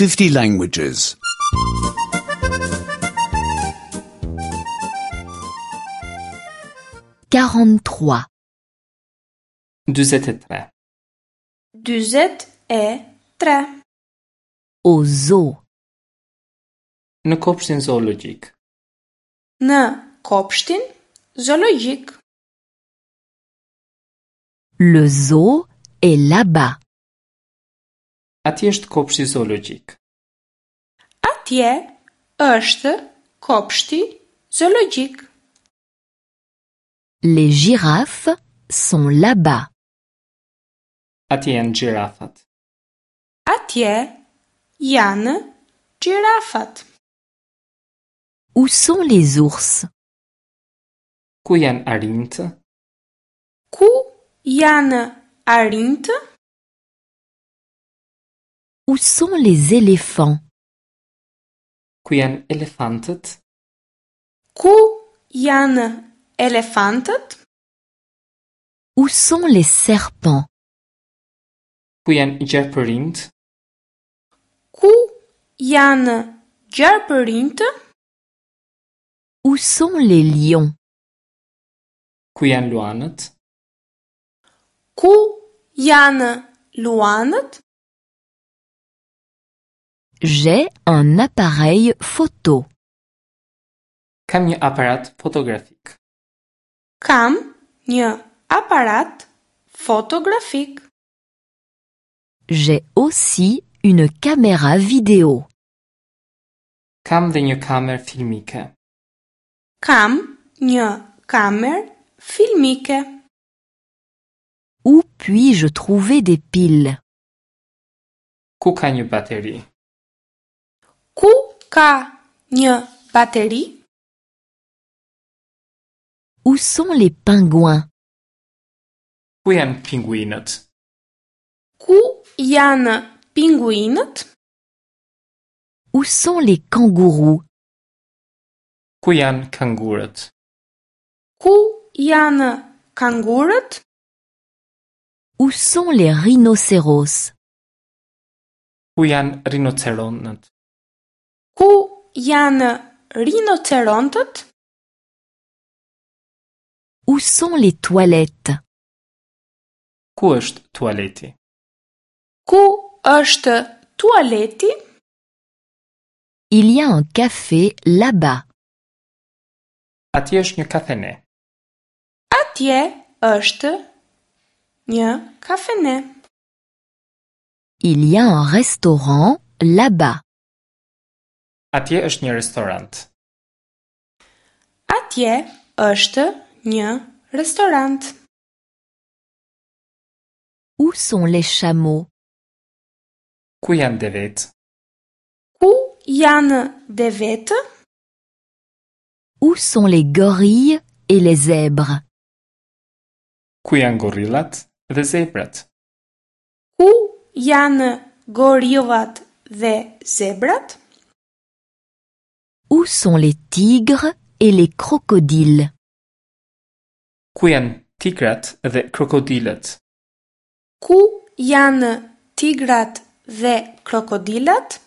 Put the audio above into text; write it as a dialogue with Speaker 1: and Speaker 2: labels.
Speaker 1: 50 languages.
Speaker 2: 43.
Speaker 3: 43.
Speaker 4: 43.
Speaker 2: Au zoo.
Speaker 3: Në kopshtin zoologjik.
Speaker 4: Në kopshtin zoologjik.
Speaker 2: Le zoo est là-bas.
Speaker 3: Atje është kopshti zoologjik.
Speaker 4: Atje është kopshti zoologjik.
Speaker 2: Les girafes sont là-bas.
Speaker 3: Atje janë gjirafat.
Speaker 4: Atje janë gjirafat.
Speaker 2: Où sont les ours?
Speaker 3: Ku janë arinjtë?
Speaker 4: Ku janë arinjtë?
Speaker 2: Où sont les éléphants?
Speaker 3: Ku janë elefantët?
Speaker 4: Ku janë elefantët?
Speaker 2: Où sont les serpents?
Speaker 3: Ku janë gjarpërinjtë?
Speaker 4: Ku janë gjarpërinjtë?
Speaker 2: Où sont les lions?
Speaker 3: Ku janë luanët?
Speaker 4: Ku janë luanët?
Speaker 2: J'ai un appareil photo.
Speaker 3: Kam një aparat fotografik.
Speaker 4: Kam një aparat fotografik.
Speaker 2: J'ai aussi une caméra vidéo.
Speaker 3: Kam dhe një kamerë filmike.
Speaker 4: Kam një kamerë filmike.
Speaker 2: Où puis-je trouver des piles?
Speaker 3: Ku ka një bateri?
Speaker 4: Ku ka një bateri?
Speaker 2: Où sont les pingouins?
Speaker 3: Ku janë pinguinët?
Speaker 4: Ku janë pinguinët?
Speaker 2: Où sont les kangourous?
Speaker 3: Ku janë kangurët?
Speaker 4: Ku janë kangurët?
Speaker 2: Où sont les rhinocéros?
Speaker 3: Ku janë rinoceronët?
Speaker 4: Ku janë rinocerontët?
Speaker 2: Où sont les toilettes?
Speaker 3: Ku është tualeti?
Speaker 4: Ku është tualeti?
Speaker 2: Il y a un café là-bas.
Speaker 3: Atje është një kafene.
Speaker 4: Atje është një kafene.
Speaker 2: Il y a un restaurant là-bas.
Speaker 3: Atje është një restorant.
Speaker 4: Atje është një restorant.
Speaker 2: Où sont les chameaux?
Speaker 3: Ku janë devet?
Speaker 4: Ku janë devetë?
Speaker 2: Où sont les gorilles et les zèbres?
Speaker 3: Ku janë gorillat dhe zebrat?
Speaker 4: Ku janë gorillat dhe zebrat?
Speaker 2: Où sont les tigres et les crocodiles?
Speaker 3: Ku janë tigrat dhe krokodilët?
Speaker 4: Ku janë tigrat dhe krokodilat?